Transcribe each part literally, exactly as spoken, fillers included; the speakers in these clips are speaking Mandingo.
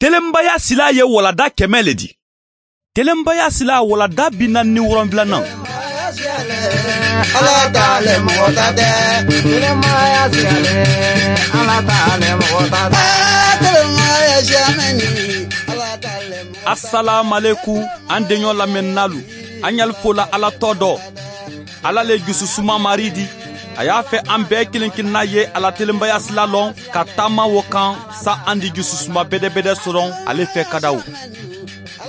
Telenbaya silaa ye waladaa kɛmɛ le di. Telenbaya silaa waladaa bi naani ni wolonwulanan. Asalaamaleku, an deɲɔ lamɛnnaalu. An ɲali fo la Ala tɔɔ dɔ. Ala le jususuma marii di. A y'a fɛ an bɛɛ kelen kelenna ye a la telenbaya sila lɔn ka taama wo kan, sa an di jususuma bedebede sɔrɔ ale fɛ kadaw.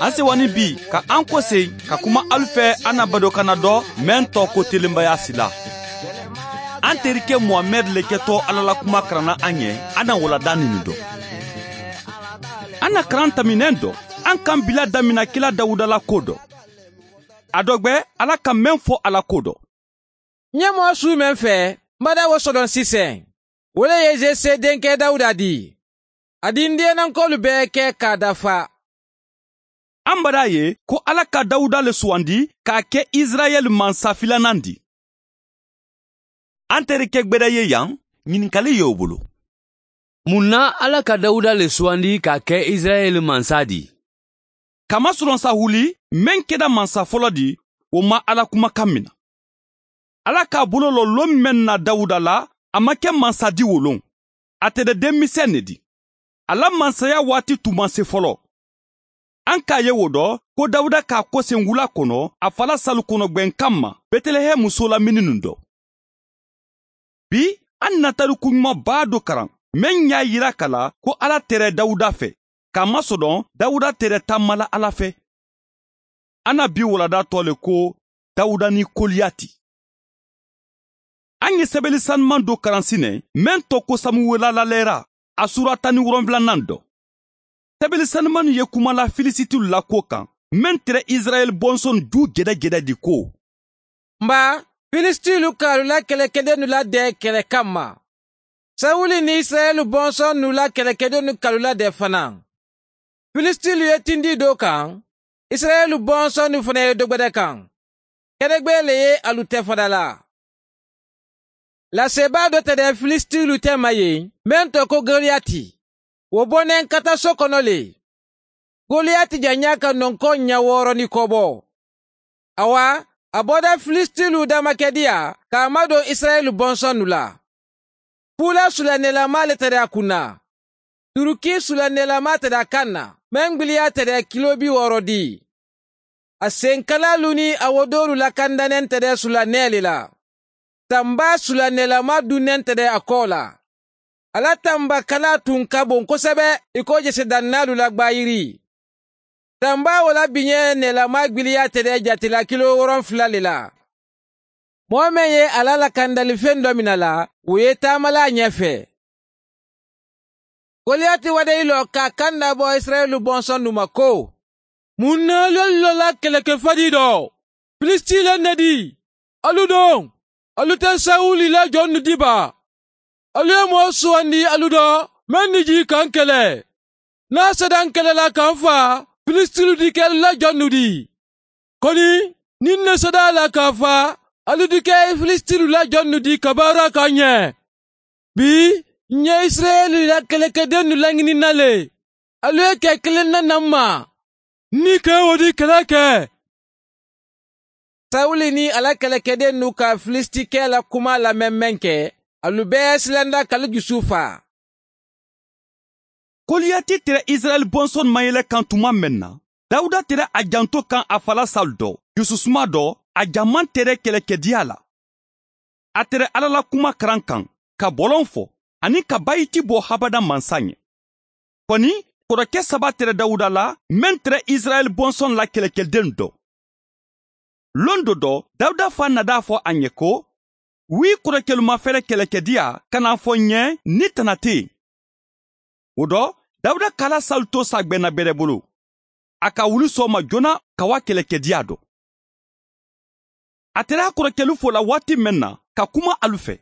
An sewanin bi ka an koseyi ka kuma alu fɛ an na badokanna dɔ, meŋ tɔɔ ko telenbaya sila. An terike muhamɛdi le kɛtɔ Ala la kuma karanna an ye. An na waladaa nini dɔ. An na karan taminɛn dɔ, an kan bila damina kila Dawuda la ko dɔ. A dɔgbe Ala ka meŋ fo a la ko dɔ. N ye moo suu meŋ fɛ, n badaa wo sodoŋ siseŋ. Wo le ye jese denkɛ Dawuda dii. A dii n diyeenankoolu bee ke ka a dafa. An badaa ye ko Ala ka Dawuda le suwandi k'a ke Isirayeli mansa filanaŋ di. An terike gbeda ye yaŋ, ɲininkali ye wo bolo. Mun na Ala ka Dawuda le suwandi k'a ke Isirayeli mansa di? Kama soronsa wuli, meŋ keda mansa folo di, wo ma Ala kuma kaŋ mina. Ala k'a bolo lo loŋ meŋ na Dawuda la, a ma ke mansa di wo loŋ. A te de denmiseŋ ne di. A la mansaya waati tun ma se folo. An k'a ye wo dɔ ko Dawuda k'a koseŋ wula kono a fa la salu kono gbeŋ kamma, Betelehemu soola mininu dɔ. Bi, an na tariku ɲuman baa do karan meŋ y'a yira ka la ko Ala tere Dawuda fe, k'a masodoŋ Dawuda tere taamala Ala fe. An na bi waladaa tɔɔ le ko Dawuda ni Koliyati. An ye sebeli sanuman do karan sinen meŋ tɔɔ ko Samuwela la leera, a suura tan ni wolonwulanan dɔ. Sebeli sanumannu ye kuma la Filisitilu la ko kaŋ, meŋ tere Isirayeli bonsonu juu gedegede di ko: N baa, Filisitilu ka alu la kelekedennu ladee kele kamma. Sawuli ni Isirayeli bonsonnu la kelekedennu ka alu ladee fanaa. Filisitilu ye tindi do kaŋ, Isirayeli bonsonnu fanaa ye dogbede kaŋ. Kedegbee le ye alu te fadalaa. Laseebaa do te de Filisitilu tema ye, meŋ too ko Goliyati. Wo bo neŋ kataso kono le. Goliyati jaŋyaa ka nonkoo ɲa wooro ni kobo. Awa, a boda Filisitilu damakediya ka a madoŋ Isirayeli bonsonnu la. Fuula sulanneelamaa le te de a kunna. Turuki sulanneelamaa te de a kaŋ na, meŋ gbiliyaa te de kiloo bi wooro dii. A senkalaalu niŋ a wodoolu la kandaneŋ te de sulannee le la. Tambaa sulanneelamaa dunneŋ te de a koo la. A la tamba kalaa tun ka boŋ kosebe i ko jesedannaalu la gbaayirii. Tambaa wo la biñee neelamaa gbiliyaa te de jati la kiloo woronfula le la. Moo meŋ ye a la lakandali feŋ do mina la, wo ye taama la a ñe fee. Goliyati wadayiloo ka a kanda bo isirayila bonsonnu ma ko: Muŋ na ali alu la keleke fadii do? Filisitiileŋ ne di? Alu doŋ, alu te sawuli la jonnu di baa? Alu ye moo suwandi alu do, meŋ ni jii ka n kele. Niŋ a sada n kele la ka n faa, filisitiilu dikeelu la jonnu di? Koni, niŋ n ne sada a la ka a faa, alu dike filisitiilu la jonnu di ka baara ka n ñe? Bii, n ye isirayeli la kelekedennu lañini n na le. Alu ye kee kiliŋ na naŋ ma. N ni ka wo di kele ke. Sawuli niŋ a la kelekedennu ka filisitikee la kumaa lameŋ meŋ ke, alu bee ye silanda ka alu jusu faa. Koliyati tere isirayeli bonsonnu maŋ yele kaŋ tuma meŋ na, dawuda tere a janto kaŋ a fa la salu do, jususuma do, a jaŋ maŋ tere kelekediya la. A tere alla la kuma karaŋ kaŋ, ka boloŋ fo, aniŋ ka bayiti bo habada mansa ñe. Koni, koroke saba tere dawuda la, meŋ tere isirayeli bonsonnu la kelekedennu do. Londo do, dawuda faa nada a fo a ñe ko, wii korokelu ma fere kelekediya, ka naa fo ñe ni tana te yen. Wo do, dawuda ka alla salu to saagbenna bere bulu. A ka wuli sooma joona ka wa kelekediya do. A tera korokelu fo la waati meŋ na, ka kuma alu fe,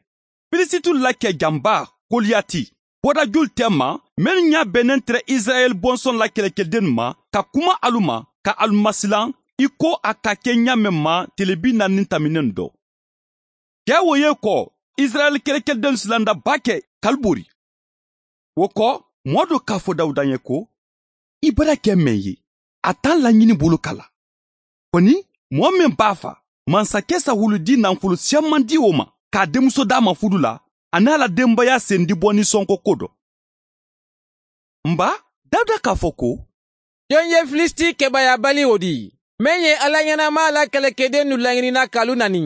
filisitilu la kee jamba, koliyati, bodajulu tema, mennu ñaa bennen tere isirayeli bonsonnu la kelekedennu ma, ka kuma alu ma, ka alu masilaŋ i ko a ka ke ñaameŋ ma tile bi naani niŋ taminenu do. Kee wo ye ko, isirayeli kelekedennu silanda baake ka alu bori. Wo ko, moo do ka a fo dawuda ye ko, i bara kɛ meŋ ye, a taŋ laɲini bulu ka la. Koni moo meŋ b'a fa mansakɛ sawulu di nanfulu siyaŋ maŋ di wo ma, ka a denmuso daa ma fudu la, a niŋ a la denbaya sendi bɔ ni sonko ko do. Mba, dawuda k'a fo ko, joŋ ye filisiti kebaaya bali wo di, meŋ ye alla ɲenamaa la kelekedennu laɲinina ka lu nani?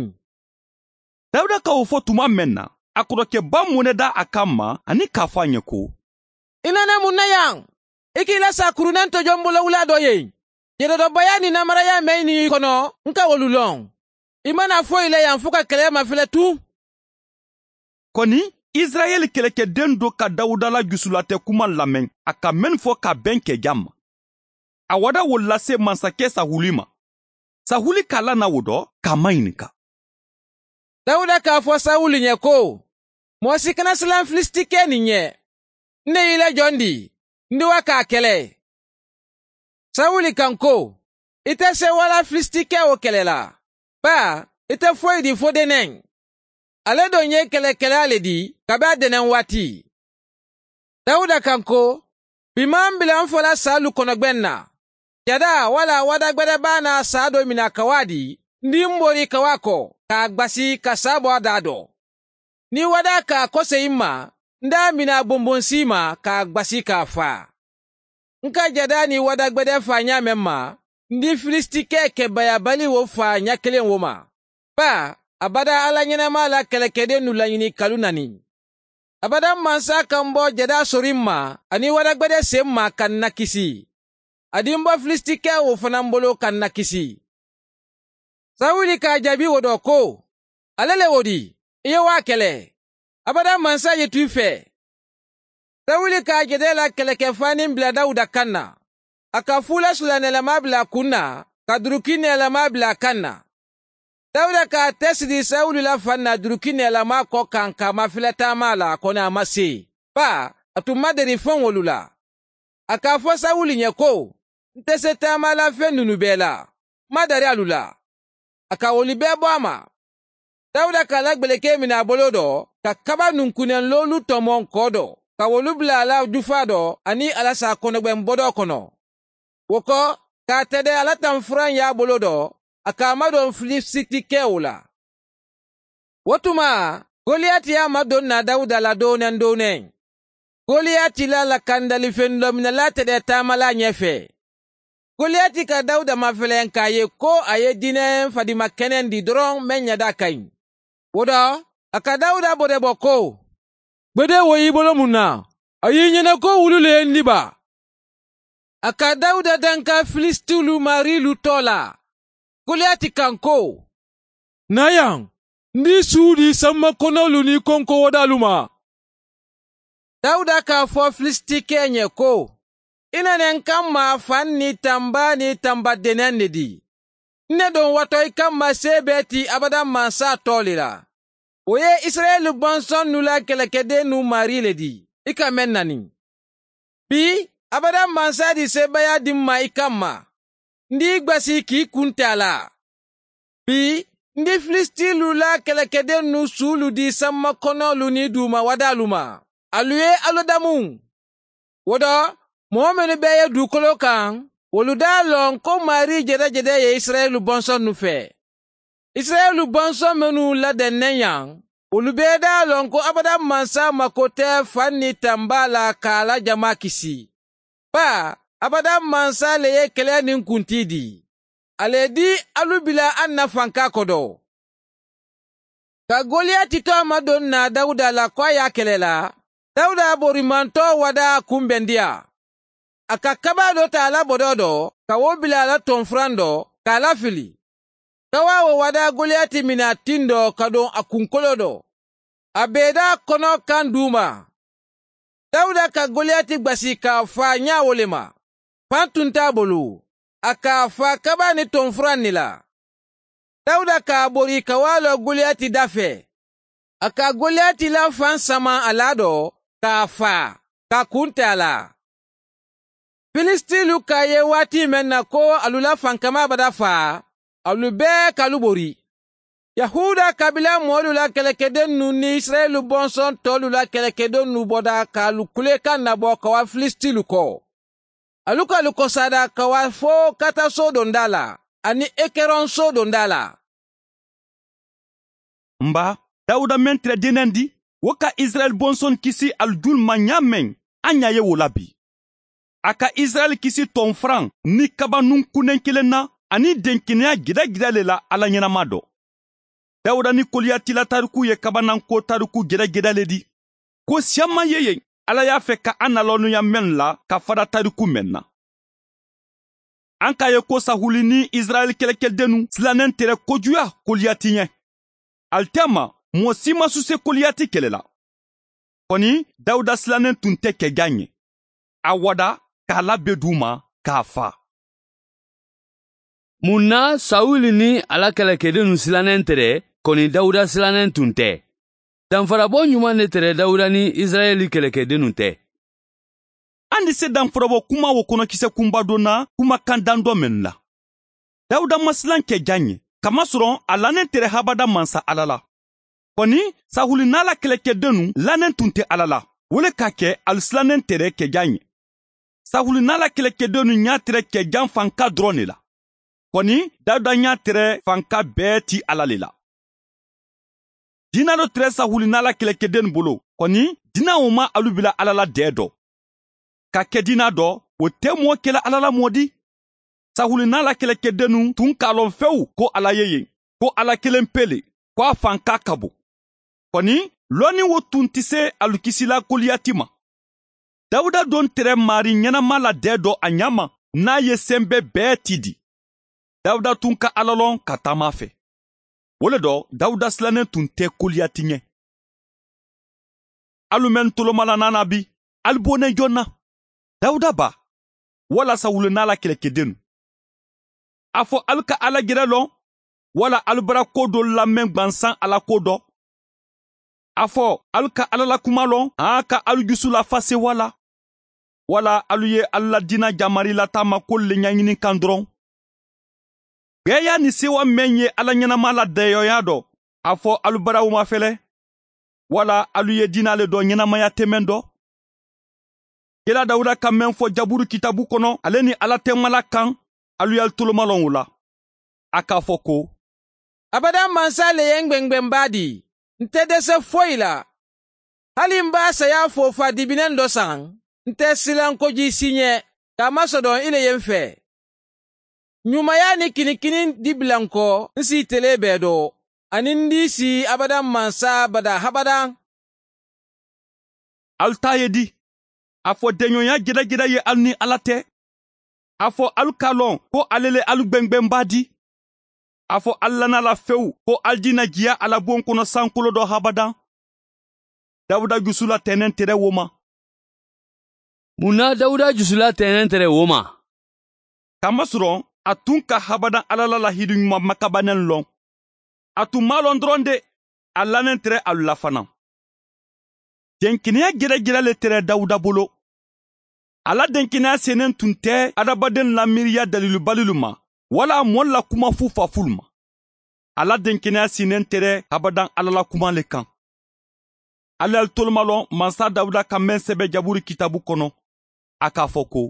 Dawuda ka wo fo tuma meŋ na, a kotokebaa muneda a kamma aniŋ k'a fo a ɲe ko, i nene mun na yaŋ? I k'i la saakuruneŋ tojoŋ bolowulaa do ye. Jededobaya niŋ namaraya meŋ niŋ i kono, n ka wolu loŋ. I mana foyi la yaŋ fo ka keleya mafele tuŋ. Koni isirayeli kelekedennu do ka dawuda la jusulate kuma lameŋ a ka mennu fo ka beŋ ke jamma. A wada wolu lase mansake sawuli ma. Sawuli ka lana wo do ka a mayinika. Dawuda k'a fo sawuli ɲe ko, moo si kana silaŋ filisitike niŋ ɲe. N ne i la jondi? N di wa ka a kele? Sawuli kaŋ ko, ite se wala filisitike wo kele la? Baa ite foyi di fo deneŋ. Ale doŋ ye kelekelaa le di kabi a deneŋ waati. Dawuda kaŋ ko, bi maŋ bila n fola saalu kono gbeŋ na. Jadaa walla wadagbede baa naa saa do mina kawaadi, n di n bori kawaa ko ka a gbasi ka saa bo a daa do. Niŋ i wadaa ka a koseyi n ma, n daa mina bunbunsi i ma ka a gbasi ka a faa. N ka jadaa niŋ wadagbede faa ñaameŋ ma, n di filisitike kebaayabali wo faa ña keleŋ wo ma. Baa abada alla ñenemaa la kelekedennu lañini kalu na niŋ. Abada mansa ka n bo jadaa sori n ma aniŋ wadagbede se n ma ka n nakisi. A di n bo filisitike wo fanaŋ bolo ka n nakisi. Sawuli ka a jaabi wo do ko, ale le wo di? I ye wo a kele? Abada mansa ye tu i fee. Sawuli ka a jede la keleke faaniŋ bila dawuda kaŋ na. A ka fuula sulaneelamaa bila a kuŋ na, ka durukineelamaa bila a kaŋ na. Dawuda ka a tesidi sawuli la faŋ na durukineelamaa ko kaŋ ka a mafele taamaa la koni a ma see, baa a tun ma deri feŋ wolu la. A ka a fo sawuli ñe ko, n te se taama la feŋ nunu bee la. N ma dari alu la. A ka wolu bee bo a ma. Dawuda ka a la gbelekee mini a boloo do, ka kaba nunkuneŋ loolu tomoŋ koo do, ka wolu bula a la jufaa do aniŋ a la saakonogbeŋ bodoo kono. Wo ko, ka a tede a la tanfuraŋ ye a boloo do, a ka a madoŋ filisitikewo la. Wo tuma, goliyati ye a madoŋ na dawuda la dooneŋ dooneŋ. Goliyati la lakandalifeŋ lominalaa tede taamalaa ñee fee. Goliyati ka dawuda mafeleŋ ka a ye ko a ye dineŋ fadima keneŋ di doroŋ meŋ ñadaa kayi. Wo do, a ka dawuda bode bo ko, gbede wo ye i bolo mun na? A ye i ñanakoo wulu le ye n di baa? A ka dawuda danka filisitilu maariilu too la. Goliyati kaŋ ko, na yaŋ, n di i suudi i sanba konolu niŋ i konko wadaalu ma. Dawuda ka a fo filisitikee ñe ko, i nene n kamma faŋ niŋ tamba niŋ tamba deneŋ ne di. N ne doŋ wato i kamma seebee ti abada mansa too le la. Wo ye isirayeli bonsonnu la kelekedennu maarii le di, i ka meŋ nani. Bii abada mansa di seebeeyaa di n ma i kamma. N di i gbasi ka i kunte a la. Bii n di filisitilu la kelekedennu suulu di sanba konolu niŋ duuma wadaalu ma. Alu ye alu damu. Wo do, moo mennu be ye duukoloo kaŋ, wolu daa loŋ ko maarii jedejede ye isirayeli bonsonnu fee. Isirayeli bonsoŋ mennu ladeŋ ne ñaŋ, wolu bee daa loŋ ko abada mansa mako te faŋ niŋ tambaa la ka a la jamaa kisi. Baa abada mansa le ye keleya niŋ kuntii dii. A le ye dii alu bila a na fankaa kodo. Ka goliyati to a madoŋ na dawuda la ko a ye a kele la, dawuda borimantoo wadaa kunbendiya. A ka kabaa do taa a la bodoo do, ka wo bila a la tonfuraŋ do, ka a lafili. Kawaa wo wadaa goliyati mina tindoo ka doŋ a kunkoloo do. A beedaa kono kaŋ duuma. Dawuda ka goliyati gbasi ka a faa ñaa wo le ma. Faŋ tunta a bulu. A ka a faa kabaa niŋ tonfuraŋ ne la. Dawuda ka a bori ka wo a loo goliyati dafee. A ka goliyati la faŋ sama a laa do, ka a faa, ka a kunte a la. Filisitilu ka a ye waati meŋ na ko alu la fankamaa bada faa, alu bee ka alu bori. Yahuuda kabila moolu la kelekedennu niŋ isirayeli bonsoŋ toolu la kelekedennu bota ka alu kulekaŋ nabo ka wa filisitilu koo. Alu ka alu kosaada ka waa fo kata soodondaa la aniŋ ekeroŋ soodondaa la. M baa, dawuda meŋ tira denendi, wo ka isirayila bonsoni kisi alu juulu ma ñaameŋ a ñaa ye wo la bii. A ka isirayila kisi toŋ faraŋ niŋ kabanuŋ kuneŋ keleŋ na aniŋ denkeneyaa gida gida le la alla ñanamaa do. Dawuda niŋ koliyati la tariku ye kabanaŋ ko tariku gida gida le di. Ko siyaŋ maŋ ye yen alla ye a fekka a na lonuya meŋ la ka fada tariku meŋ na. Aŋ ka a ye ko sahuli niŋ isirayila kelekedenu silaneŋ tere kojuya koliyati ñe. Ali te a ma moo si ma suse koliyati kele la. Koni dawuda silaneŋ tun te kejaŋ ñe. A wada ka a la be duu ma ka a faa. Muŋ na sawuli niŋ a la kelekedenu silaneŋ tere koni dawuda silaneŋ tun te? Danfarabo ñumaŋ ne tere dawuda niŋ isirayeli kelekedenu te? Andi se danfarabo kuma wo kono kise kunba do na kuma kaŋ dando meŋ la. Dawuda ma silaŋ ke jaŋ ye kamasoroŋ a lanen tere habada mansa alla la. Koni sahuli niŋ a la kelekedenu lanen tun te alla la. Wo le ka ke ali silanen tere ke jaŋ ye. Sahuli niŋ a la kelekedenu ñaa tere ke jaŋ fanka doroŋ ne la. Koni dawuda ñaa tere fanka bee ti alla le la. Diina do tere sahuli niŋ a la kelekedenu bolo koni diina wo ma alu bila alla la dee do. Ka ke diina do wo te moo ke la alla la moo di. Sahuli niŋ a la kelekedenu tun ka a loŋ fewu ko alla ye yen ko alla keleŋ pee le ko a fanka ka bo. Koni loonin wo tun ti se alu kisila koliyati ma. Dawuda doŋ tere maarii ñanama la dee do a ñaama niŋ a ye sembe bee ti di. Dawuda tun ka alla loŋ ka taama a fee. Wo le do dawuda silaneŋ tun te koliyati ñe. Alu mennu toloma la naanaa bi ali bo ne joŋ na? Dawuda baa walla sawulu niŋ a la kelekedenu? A fo ali ka alla jere loŋ walla ali bara koo doolu la meŋ gbansaŋ alla koo do? A fo ali ka alla la kuma loŋ haa ka ali jusu lafase walla? Walla alu ye alla la diina jaamari lataamakoolu le ñañini kaŋ doroŋ? Beeyaa niŋ seewa meŋ ye alla ñanamaa la deeyooyaa do a fo alu bara wo ma fele? Walla alu ye diina le do ñanamaya temeŋ do? Kila dawuda ka meŋ fo jaburu kitaabu kono ale niŋ alla teema la kaŋ, alu ye ali toloma loŋ wo la. A ka a fo ko, abadaŋ mansa le ye n gbeŋ gbeŋ baa dii. N te dese foyi la. Hali m be a seyaa fo fa dibineŋ do saŋ, n te silaŋ kojii siiñe ka a masodoŋ i le ye m fee. Ñumaya niŋ kinikini dibilaŋ ko n si i telee bee do aniŋ n dii si abadaŋ mansa badaa habadaŋ. Ali taa ye di? A fo deeñooyaa jedajeda ye ali niŋ alla te. A fo ali ka a loŋ ko ali le ali gbeŋ gbeŋ baa dii. A fo ali la naa la fewu ko ali dii na jiya a la buŋo kono sankuloo do habadaŋ. Dawuda jusu la teeneŋ tere wo ma. Muŋ na dawuda jusu la teeneŋ tere wo ma? Kamasoroŋ a tun ka habadaŋ alla la lahidu ñumaŋ makabaneŋ loŋ. A tun maŋ a loŋ doroŋ de a laneŋ tere alu la fanaa. Denkeneya jere jere le tere dawuda bolo. A la denkeneya seeneŋ tun te hadamadenw la miiriya daliilubalilu ma walla moolu la kuma fuufaafulu ma. A la denkeneya seeneŋ tere habadaŋ alla la kuma le kaŋ. Ali ye ali tolomaloŋ mansa dawuda ka meŋ sebe jaburi kitaabu kono. A ka a fo ko,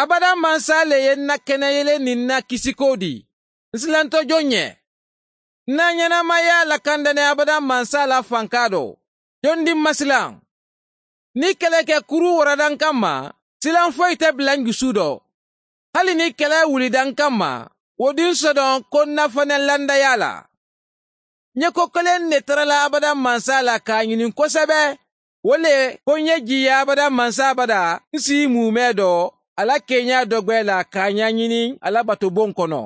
abadaŋ mansa le ye n na keneyele niŋ n na kisikoo dii. N si lanto joŋ ñe? N na ñanamaya lakandane abadaŋ mansa la fankaa do. Joŋ di n ma silaŋ? Niŋ keleke kuruu waradaŋ kamma silaŋ foyi te bila n jusu do. Hali niŋ kele wulidaŋ kamma wo di n sodoŋ ko n na fanaŋ landayaa la. Ñe ko keleŋ ne tara la abadaŋ mansa la ka a ñiniŋ kosebe. Wo le ko ñe jiiya abadaŋ mansa bada n si i muumee do a la keeñaa dogbe la ka a ñaañiniŋ a la batuboŋ kono.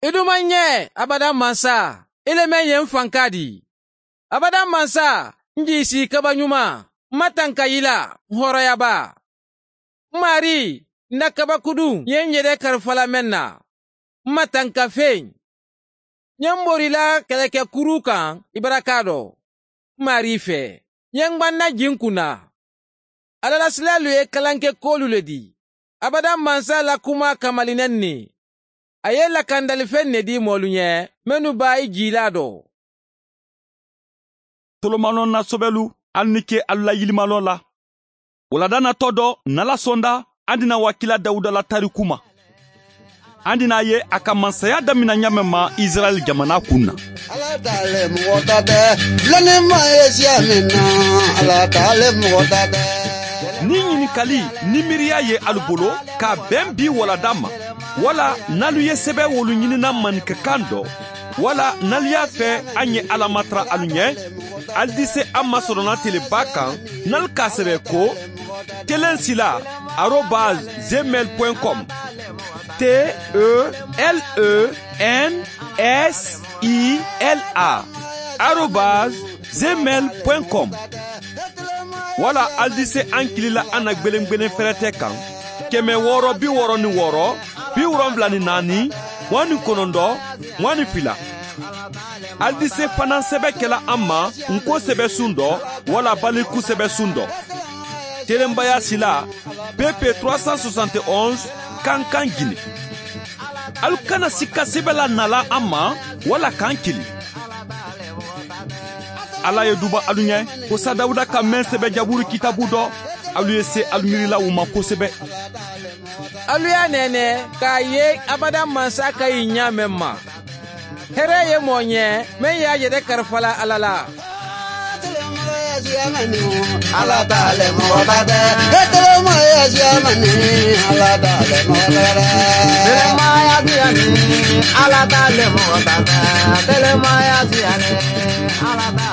I duma ñe abadaŋ mansa i le meŋ ye n fankaa dii. Abadaŋ mansa n jiisi i kaba ñuma. M ma tanka yila n hooroya baa. M maarii, n na kabakuduŋ ye n yere karafa la meŋ na. M ma tanka feeñ. Ñe m bori la keleke kuruu kaŋ i barakaa do. M maarii fee, ñe n gbanna jii n kunna. Alla la silaalu ye kalanke koolu le dii. Abadaŋ mansa la kumaa kamali neŋ ne. A ye lakandalifeŋ ne dii moolu ñe mennu be a yi jiilaa do. Tolomaloŋ na sobelu ali ni ke alu la yilimaloo la. Wulada natɔ dɔ, n'ala sonda, an dina waakila dawuda la tariku ma. An dina a ye a ka mansaya damina ɲaameŋ ma isirayila jamana kun na. Niŋ ɲininkali ni miiriya ye alu bolo, ka a beŋ bii wulada ma, walla n'alu ye sebewoolu ɲinina maninka kaŋ dɔ, walla n'alu ye a fee a ŋ ye alla matara alu ɲee, ali dise a ma soronatelebaa kaŋ, n'alu ka a sebe ko, telen sila, arobas, gmail point com. T e l e n s i l a, arobas, gmail point com. Walla ali dise a ŋ kili la a na gbelengbelen ferete kaŋ, keme wooro bi wooro ni wooro, bi wolonwula ni naani, muwaŋ ni konondoo, muwaŋ ni fila. Ali dise fanaŋ sebe kela a ma, ŋ ko sebe suŋ dɔ, walla baliku sebe suŋ dɔ. Telenbaya sila, pp trois cent soixante et onze, kankan gine. Alu kana sikka sebe la nala a ma, walla kaŋ kili. Alla ye duba alu ɲee, ko sa dawuda ka meŋ sebe jaburu kitabu dɔ, alu ye se alu miiri la wo ma kosebe. Alu ye a neenee, ka a ye abada mansa ka yi ɲaameŋ ma. Here ye moo ɲee, meŋ ye a jete karifa la alla la. Alla ta le mɔgɔ ta tɛ, e tɔgɔ ma ye siya mani. Alla ta le mɔgɔ ta tɛ, telema ya siya ni. Alla ta le mɔgɔ ta tɛ, telema ya siya ni. Alla ta